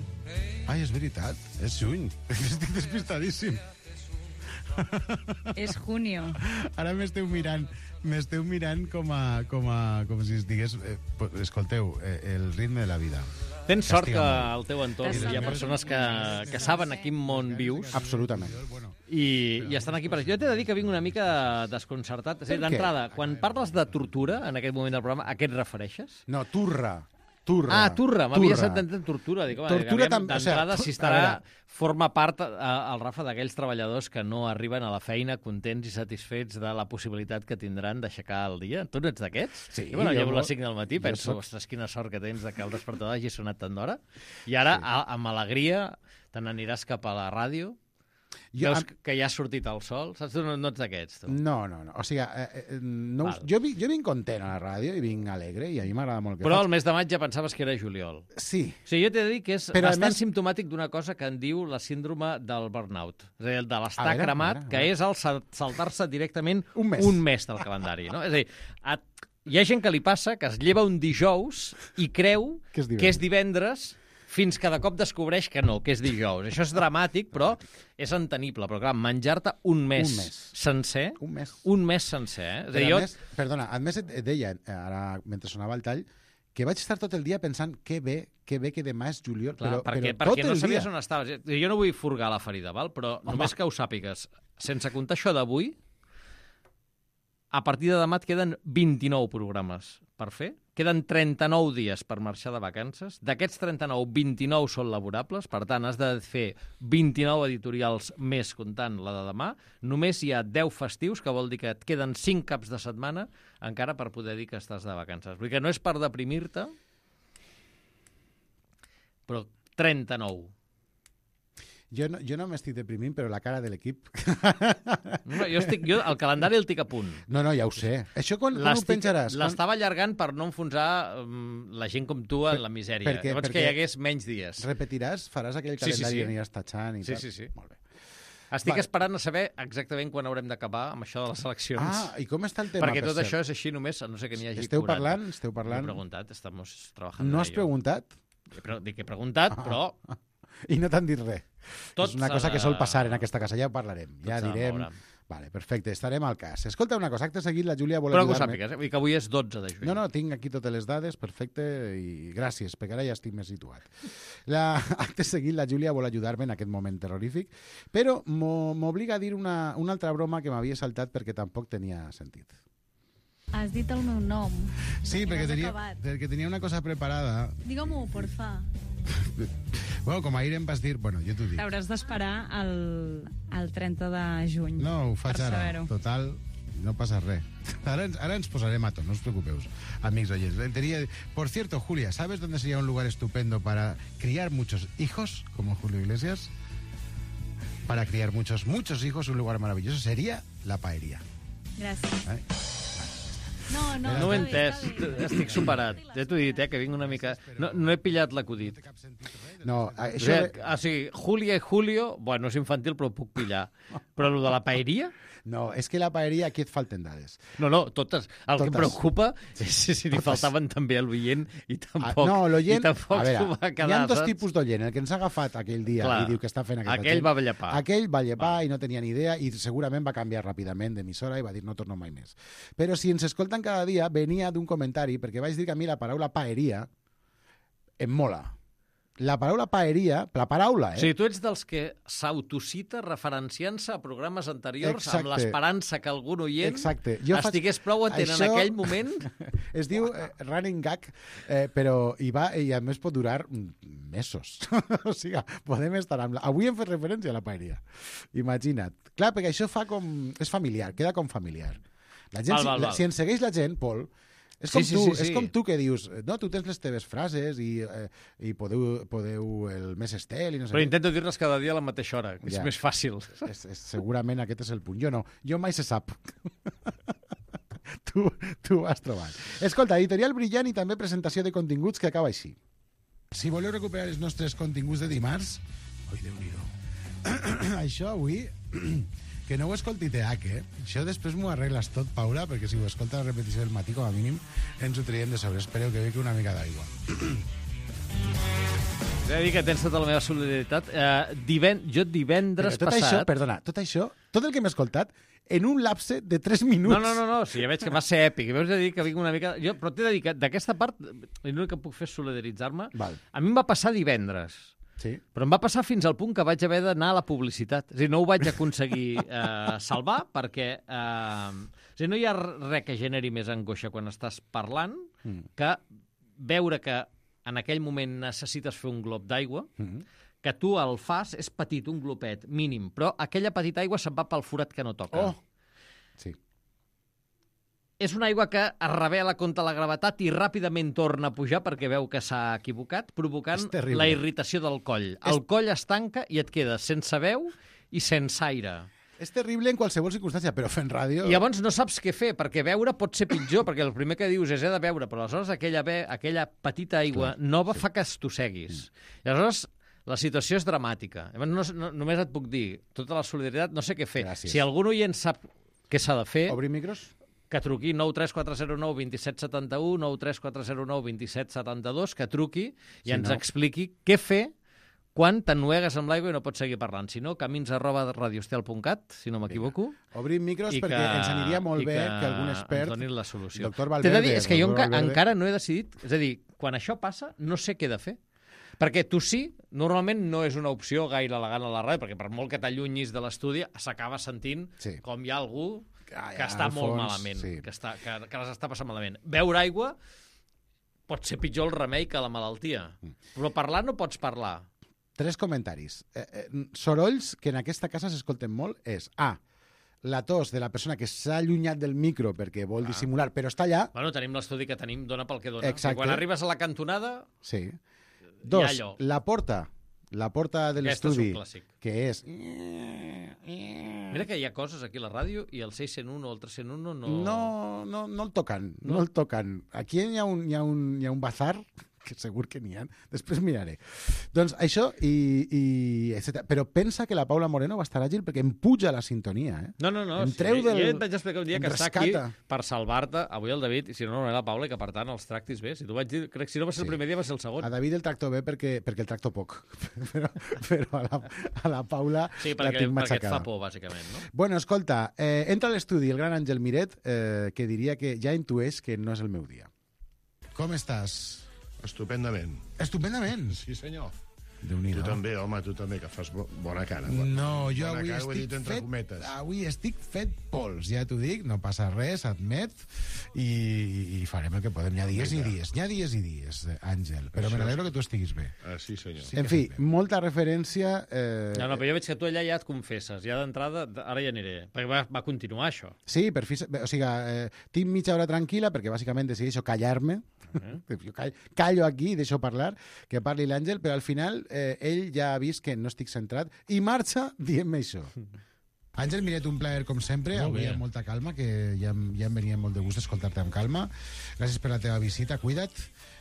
Ai, és veritat, és juny. Estic despistadíssim. És junio. Ara m'esteu mirant, m'esteu mirant com a, com a, com si es digués, eh, escolteu, eh, el ritme de la vida. Tens sort que Castiga molt. al teu entorn hi ha persones que, que saben a quin món vius. Absolutament. I, i estan aquí per això. Jo t'he de dir que vinc una mica desconcertat. És a dir, Per què? d'entrada, quan parles de tortura en aquest moment del programa, a què et refereixes? No, turra. Turra. Ah, turra. M'havia sentit tortura. Dic, home, Tortura aviam, tam- o sea, d'entrada, tu- si a estarà, veure. forma part eh, el Rafa d'aquells treballadors que no arriben a la feina contents i satisfets de la possibilitat que tindran d'aixecar el dia. Tu no ets d'aquests? Sí, Jo, bueno, jo llevo mo- les cinc del matí, jo penso, soc- ostres, quina sort que tens de que el despertador hagi sonat tant d'hora. I ara, Sí. a, amb alegria, te n'aniràs cap a la ràdio. Jo- Veus am- que ja ha sortit el sol. Saps? Tu no, no ets d'aquests, tu. No, no, no. O sigui, eh, eh, no us, jo, vi- jo vinc content a la ràdio i vinc alegre i a mi m'agrada molt el que Però faig. el mes de maig ja pensaves que era juliol. Sí. O sigui, jo t'he de dir que és Però, a bastant més- simptomàtic d'una cosa que en diu la síndrome del burnout. És a dir, el de A l'estar veure, a cremat, veure, a que veure. és el sal- saltar-se directament Un mes. un mes del calendari. No? És a dir, et, hi ha gent que li passa que es lleva un dijous i creu Que és divendres. que és divendres fins que de cop descobreix que no, que és dijous. Això és dramàtic, però és entenible. Però, clar, menjar-te un mes, Un mes. sencer... Un mes. Un mes sencer, eh? És a Però dir, a jo... més, perdona, a més et et deia, ara mentre sonava el tall, que vaig estar tot el dia pensant que bé, que bé que demà és juliol, Clar, però, perquè, però tot perquè no el dia. sabies on estaves. Jo no vull furgar la ferida, val? Però Home. només que ho sàpigues, sense comptar això d'avui, a partir de demà et queden vint-i-nou programes per fer, queden trenta-nou dies per marxar de vacances, d'aquests trenta-nou, vint-i-nou són laborables, per tant, has de fer vint-i-nou editorials més comptant la de demà, només hi ha deu festius, que vol dir que et queden cinc caps de setmana encara per poder dir que estàs de vacances. Vull dir que no és per deprimir-te, però trenta-nou. Jo no, jo no m'estic deprimint, però la cara de l'equip... No, jo, estic, jo el calendari el tinc a punt. No, no, ja ho sé. Això quan, quan ho penjaràs? Quan... L'estava allargant per no enfonsar um, la gent com tu en la misèria. perquè- Llavors perquè que hi hagués menys dies. Repetiràs? Faràs aquell Sí, sí, calendari sí. que aniràs tatxant i Sí, tal? sí, sí. Molt bé. Estic Vale. esperant a saber exactament quan haurem d'acabar amb això de les eleccions. Ah, i com està el tema, Perquè per tot cert? això és així només, a no sé que n'hi hagi Esteu quaranta. parlant? Esteu parlant? No he preguntat, estamos trabajando No en has ello. preguntat? He, pre dic que he preguntat, però... I no t'han dit res. Tot és una s'ha cosa que de- sol passar en aquesta casa, ja ho parlarem. Tot Ja s'ha de direm... moure. Vale, perfecte, estarem al cas. Escolta una cosa, acte seguit la Júlia vol Però que ho ajudar-me. sàpigues, eh? Vull dir que avui és dotze de juny. No, no, tinc aquí totes les dades, perfecte, i gràcies, perquè ara ja estic més situat. La, acte seguit, la Júlia vol ajudar-me en aquest moment terrorífic, però m'o- m'obliga a dir una, una altra broma que m'havia saltat perquè tampoc tenia sentit. Has dit el meu nom. Sí, I perquè no has tenia, acabat. perquè tenia una cosa preparada. Digue-m'ho, porfa. Bueno, com ahir em vas dir... Bueno, jo t'ho dic. T'hauràs d'esperar el, el trenta de juny. No, ho faig per ara. saber-ho. Total, no passa res. Ara, ens- ara ens posarem a to, no us preocupeu, amics oyentes. Tenía... Por cierto, Julia, ¿sabes dónde sería un lugar estupendo para criar muchos hijos, como Julio Iglesias? Para criar muchos, muchos hijos, un lugar maravilloso sería la paería. Gràcies. ¿eh? No, no, No ho he està bé, entès, està bé. estic superat. Ja t'ho he dit, eh, que vinc una mica... No, no he pillat l'acudit. No, O això... sigui, o sigui, Julia i Julio, bueno, és infantil, però ho puc pillar. Però el de la paeria? No, és que la paeria aquí et falten dades. No, no, totes. El que Totes. em preocupa és si li Totes. faltaven també a l'oient i Ah, tampoc, no, l'oient... i tampoc A s'ho veure, va hi quedar, ha dos saps? tipus d'oient. El que ens ha agafat aquell dia Clar, i diu que està fent aquest aquell va llepar. Aquell va llepar i no tenia ni idea i segurament va canviar ràpidament d'emissora i va dir no torno mai més. Però si ens escolten cada dia, venia d'un comentari, perquè vaig dir que a mi la paraula paeria em mola. La paraula paeria, la paraula, eh? O sigui, tu ets dels que s'autocita referenciant-se a programes anteriors Exacte. amb l'esperança que algun oient Exacte. Jo faig- estigués prou atent Això- en aquell moment. Es diu eh, running gag, eh, però i, va, i a més pot durar mm, mesos. O sigui, podem estar amb la... Avui hem fet referència a la paeria. Imagina't. Clar, perquè això fa com... És familiar, queda com familiar. La gent, Val, val, si, val. si ens segueix la gent, Pol, és Sí, com, sí, tu, sí, sí. és com tu que dius, no, tu tens les teves frases i, eh, i podeu, podeu el més estel i no sé Però què. intento dir-les cada dia a la mateixa hora, que és Ja. més fàcil. És, és, segurament aquest és el punt. Jo no, jo mai se sap. tu, tu ho has trobat. Escolta, editorial brillant i també presentació de continguts que acaba així. Si voleu recuperar els nostres continguts de dimarts... Oi, Déu-n'hi-do. Això avui... Que no ho escolti T H, eh? Això després m'ho arregles tot, Paula, perquè si ho escolta la repetició del matí, com a mínim, ens ho traiem de sobre. Espereu que bequi una mica d'aigua. He de dir que tens tota la meva solidaritat. Eh, diven... Jo divendres Però tot passat... això, perdona, tot això, tot el que m'he escoltat, en un lapse de tres minuts. No, no, no, no, sí, ja veig que va ser èpic. M'has de dir que vinc una mica... Jo, però t'he de dir que d'aquesta part, l'únic que puc fer és solidaritzar-me. Val. A mi em va passar divendres. Sí. Però em va passar fins al punt que vaig haver d'anar a la publicitat. És a dir, no ho vaig aconseguir eh, salvar perquè eh, és a dir, no hi ha res que generi més angoixa quan estàs parlant Mm. que veure que en aquell moment necessites fer un glob d'aigua, Mm. que tu el fas, és petit, un glopet, mínim, però aquella petita aigua se'n va pel forat que no toca. Oh! Sí. És una aigua que es revela contra la gravetat i ràpidament torna a pujar perquè veu que s'ha equivocat, provocant És terrible. la irritació del coll. El coll es tanca i et quedes sense veu i sense aire. És terrible en qualsevol circumstància, però fent ràdio... I llavors no saps què fer, perquè veure pot ser pitjor, perquè el primer que dius és he de veure, però aleshores aquella, ve, aquella petita aigua Clar, nova sí. fa que estosseguis. Mm. I aleshores la situació és dramàtica. Llavors no, no, només et puc dir, tota la solidaritat, no sé què fer. Gràcies. Si algun oient sap què s'ha de fer... Obrir micros? que truqui nou tres quatre zero nou dos set set u, nou tres quatre zero nou dos set set dos, que truqui i Si ens no- expliqui què fer quan t'ennuegues amb l'aigua i no pots seguir parlant. Si no, camins arroba radiostel punt cat, si no m'equivoco. Obrim micros I perquè que- ens aniria molt i bé que que algun expert, ens donin la solució. doctor T'he de Valverde... dir, és que jo doctor enca Valverde- encara no he decidit... És a dir, quan això passa, no sé què he de fer. Perquè tossir normalment no és una opció gaire elegant a la ràdio, perquè per molt que t'allunyis de l'estudi s'acaba sentint sí. com hi ha algú que, Ah, que ja, està al molt fons, malament, sí. que, està, que, que les està passant malament. Beure aigua pot ser pitjor el remei que la malaltia, Mm. però parlar no pots parlar. Tres comentaris. Eh, eh, sorolls que en aquesta casa s'escolten molt és A, la tos de la persona que s'ha allunyat del micro perquè vol dissimular, però està allà. Bueno, tenim l'estudi que tenim, dona pel que dona. Exacte. I quan arribes a la cantonada... Sí. hi ha Dos, allò. la porta. La porta de Aquest és un l'estudi, clàssic. que és... Mira que hi ha coses aquí a la ràdio i el seis cent u o el tres cent u no... No, no, no el tocan, no, No? el tocan. Aquí hi ha un, hi ha un, hi ha un bazar, que segur que n'hi ha, després miraré. Doncs això, i, i etcètera. Però pensa que la Paula Moreno va estar àgil perquè em puja la sintonia, eh? No, no, no. Em Sí, treu del... Jo et vaig explicar un dia em que està aquí rescata. per salvar-te, avui el David, i si no, no era la Paula, i que per tant els tractis bé. Si tu vaig dir, crec que si no va ser Sí. el primer dia, va ser el segon. A David el tracto bé perquè, perquè el tracto poc, però, però a, la, a la Paula Sí, la perquè, tinc perquè et matxacada. fa por, bàsicament, no? Bueno, escolta, eh, entra a l'estudi el gran Àngel Miret, eh, que diria que ja intueix que no és el meu dia. Com estàs? Estupendament. Estupendament. Sí, senyor. Déu-n'hi-do. Tu també, home, tu també, que fas bo bona cara. No, jo bona avui cara, ho he estic dit entre fet, cometes. avui estic fet pols, ja t'ho dic, no passa res, admet, i, i farem el que podem. Hi ha dies Vinga. i dies, hi ha dies i dies, eh, Àngel, però Això me n'alegro és- que tu estiguis bé. Ah, sí, senyor. Sí En que fi, fem bé. molta referència... Eh, No, no, però jo veig que tu allà ja et confesses. Ja d'entrada, ara ja aniré. Perquè va, va continuar això. Sí, per fi... O sigui, eh, tinc mitja hora tranquil·la perquè bàsicament decideixo callar-me. Eh? Jo call, callo aquí i deixo parlar, que parli l'Àngel, però al final eh, ell ja ha vist que no estic centrat i marxa dient-me això. Àngel Miret, un plaer com sempre, Molt avui bé. amb molta calma, que ja, em- ja em venia molt de gust escoltar-te amb calma. Gràcies per la teva visita, cuida't,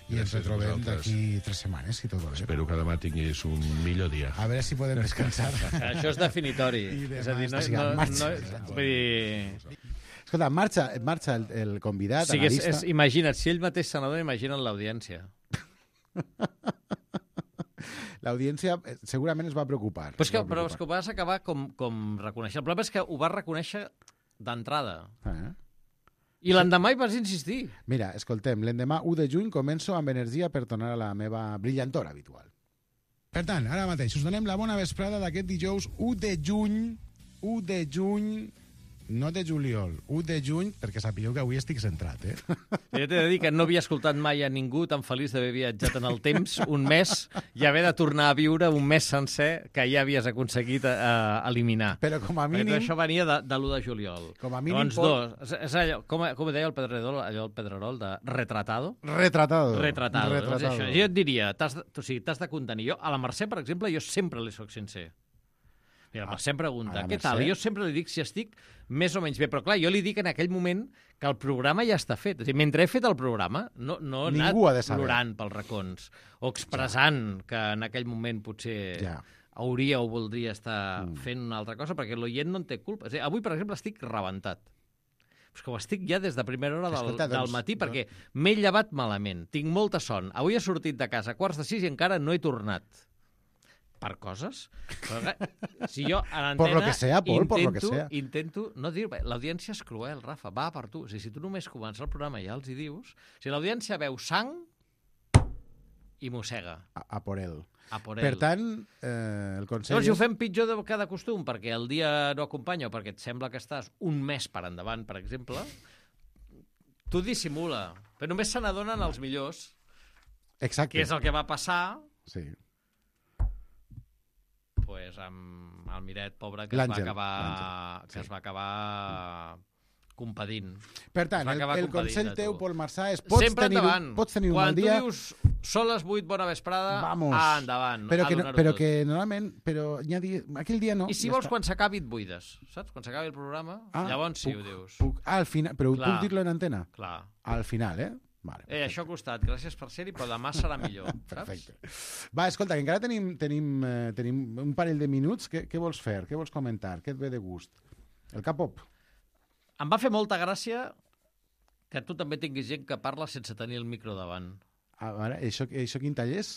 i ens Gràcies a retrobem vosaltres. d'aquí tres setmanes, si tot va bé. Espero que demà tinguis un millor dia. A veure si podem descansar. Això és definitori. I demà És a dir, no, està siguent no, marxa. no, vull dir... Escolta, marxa, marxa el, el convidat, O sigui, és, analista... és, imagina't, si ell mateix se n'adona, imagina't l'audiència. L'audiència eh, segurament es va preocupar. Però és que, es va però és que ho vas acabar com, com reconèixer. El problema és que ho vas reconèixer d'entrada. Eh? I l'endemà hi vas insistir. Mira, escoltem, l'endemà u de juny començo amb energia per tornar a la meva brillantor habitual. Per tant, ara mateix us donem la bona vesprada d'aquest dijous u de juny, u de juny, no de juliol, u de juny, perquè sapigueu que avui estic centrat, eh? Jo t'he de dir que no havia escoltat mai a ningú tan feliç d'haver viatjat en el temps un mes i haver de tornar a viure un mes sencer que ja havies aconseguit eh, eliminar. Però com a Perquè mínim... tot això venia de, de l'u de juliol. Com a mínim Llavors, pot- dos. És, és allò, com, com deia el Pedrerol, allò el Pedrerol de retratado? Retratado. Retratado. Doncs Retratado. això. Jo et diria, t'has de, o sigui, t'has de contenir. Jo, a la Mercè, per exemple, jo sempre li soc sincer. Mira, la Mercè em pregunta, a la què tal? Mercè? Jo sempre li dic si estic més o menys bé, però clar, jo li dic en aquell moment que el programa ja està fet. O sigui, mentre he fet el programa, no, no he Ningú ha de anat saber. plorant pels racons o expressant ja. que en aquell moment potser Ja. hauria o voldria estar Mm. fent una altra cosa, perquè l'oient no en té culpa. És a dir, avui, per exemple, estic rebentat. És que ho estic ja des de primera hora del, Escolta, doncs, del matí, perquè m'he llevat malament, tinc molta son. Avui he sortit de casa a quarts de sis i encara no he tornat. Per coses? Però, clar, si jo a l'antena Por lo que sea, Pol, intento, por lo que sea. intento no dir... L'audiència és cruel, Rafa, va per tu. O sigui, si tu només comença el programa i ja els hi dius... Si l'audiència veu sang i mossega. A, a por ell. A por Per ell. tant, eh, el consell... Llavors, si ho és- fem pitjor de cada costum, perquè el dia no acompanya o perquè et sembla que estàs un mes per endavant, per exemple, tu dissimula. Però només se n'adonen els millors, Exacte. que és el que va passar Sí. pues, amb el Miret, pobre, que es va L'Àngel, acabar, l'Àngel, que es va acabar compadint. Per Es tant, va el, acabar el compadint consell de tu. teu, Pol Marçà, és pots Sempre tenir, endavant. un, pots tenir un Quan mal dia... tu dius són les vuit, bona vesprada, Vamos. ah, endavant, Però a que, no, donar-ho però tot. que normalment... Però hi ha dia, aquell dia no. I si ja vols, està. quan s'acabi et buides, saps? Quan s'acabi el programa, Ah, llavors sí puc- ho dius. Puc, ah, al final, però Clar. puc dir-lo en antena? Clar. Al final, eh? Vale, Eh, això ha costat, gràcies per ser-hi, però demà serà millor, saps? Perfecte. Va, escolta, que encara tenim, tenim, eh, tenim un parell de minuts. Què, què vols fer? Què vols comentar? Què et ve de gust? El K-pop? Em va fer molta gràcia que tu també tinguis gent que parla sense tenir el micro davant. A veure, això, això quin tall és?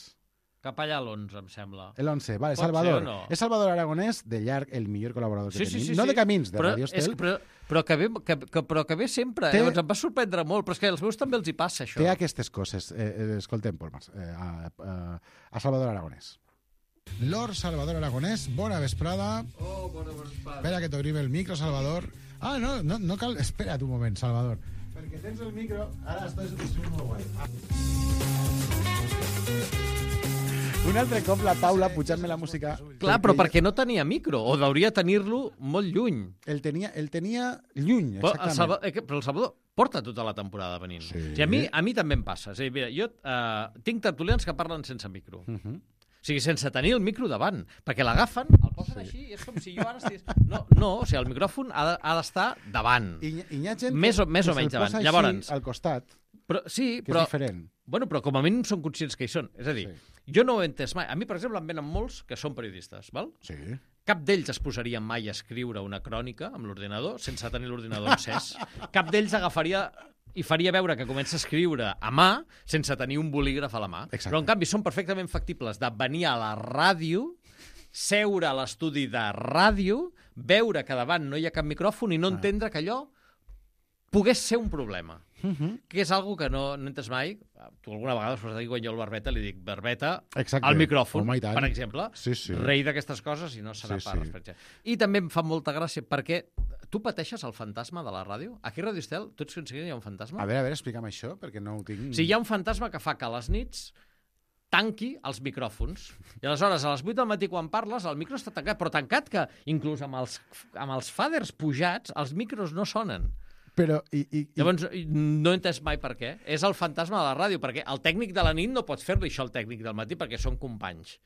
Cap allà a l'onze, em sembla. L'onze, vale, Pot Salvador. ser o no? És Salvador Aragonès, de llarg, el millor col·laborador que Sí, sí, tenim. sí, no sí. de Camins, de però, Radio és, Estel. però, però, que ve, que, que, però que ve sempre. Té- Eh? Llavors em va sorprendre molt, però és que als meus també els hi passa, això. Té aquestes coses. Eh, eh, escoltem, Pol Mars, eh, a, a, a Salvador Aragonès. Lord Salvador Aragonès, bona vesprada. Oh, bona vesprada. Espera que t'obrim el micro, Salvador. Ah, no, no, no cal... Espera't un moment, Salvador. Perquè tens el micro... Ara estàs sent molt guai. Un altre cop la Paula pujant-me la música... Clar, però perquè no tenia micro, o hauria tenir-lo molt lluny. El tenia, el tenia lluny, Però el, exactament. Salvador, eh, que- però el Salvador porta tota la temporada venint. Sí. O sigui, a, mi, a mi també em passa. És a dir, mira, jo eh, tinc tertulians que parlen sense micro. Uh -huh. O sigui, sense tenir el micro davant, perquè l'agafen, el posen sí. així, i és com si jo ara estigués... No, no, o sigui, el micròfon ha de- ha d'estar de, davant. I, i hi ha gent més o, que, més que o menys se'l davant. posa així Llavors, al costat, però, sí, que però, és diferent. Bueno, però com a mínim són conscients que hi són. És a dir, sí. jo no ho he entès mai. A mi, per exemple, em venen molts que són periodistes, val? Sí. Cap d'ells es posaria mai a escriure una crònica amb l'ordinador sense tenir l'ordinador encès. Cap d'ells agafaria i faria veure que comença a escriure a mà sense tenir un bolígraf a la mà. Exacte. Però, en canvi, són perfectament factibles de venir a la ràdio, seure a l'estudi de ràdio, veure que davant no hi ha cap micròfon i no entendre que allò pogués ser un problema. Uh -huh. Que és algo que no, no entes mai. Tu alguna vegada us vas dir, quan jo al Barbeta li dic, Barbeta, Exacte. al micròfon, Home, i tant. per exemple, Sí, sí. rei d'aquestes coses i no serà Sí, sí, sí. per sí. I també em fa molta gràcia perquè tu pateixes el fantasma de la ràdio? Aquí a Radio Estel, tu ets conscient que hi ha un fantasma? A veure, a veure, explica'm això, perquè no ho tinc... O sigui, hi ha un fantasma que fa que a les nits tanqui els micròfons. I aleshores, a les vuit del matí, quan parles, el micro està tancat, però tancat que, inclús amb els, amb els faders pujats, els micros no sonen. Però, i, i, i... Llavors, no he entès mai per què. És el fantasma de la ràdio, perquè el tècnic de la nit no pot fer-li això al tècnic del matí, perquè són companys.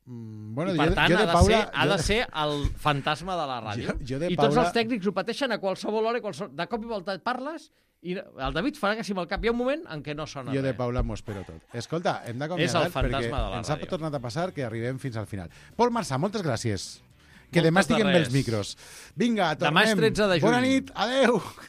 Mm, bueno, I per jo, tant, jo de ha, de Paula, ser, ha jo de ser el fantasma de la ràdio. Jo- jo de I Paula- tots els tècnics ho pateixen a qualsevol hora, i qualsevol... de cop i volta parles, i el David farà que si amb el cap hi ha un moment en què no sona Jo de res. Paula m'ho espero tot. Escolta, hem És d'acomiadar el fantasma perquè de la ens ha ràdio. tornat a passar que arribem fins al final. Pol Marçà, moltes gràcies. Que Moltes demà de estiguem bé els res. micros. Vinga, tornem. Demà és tretze de juny. Bona nit, adeu.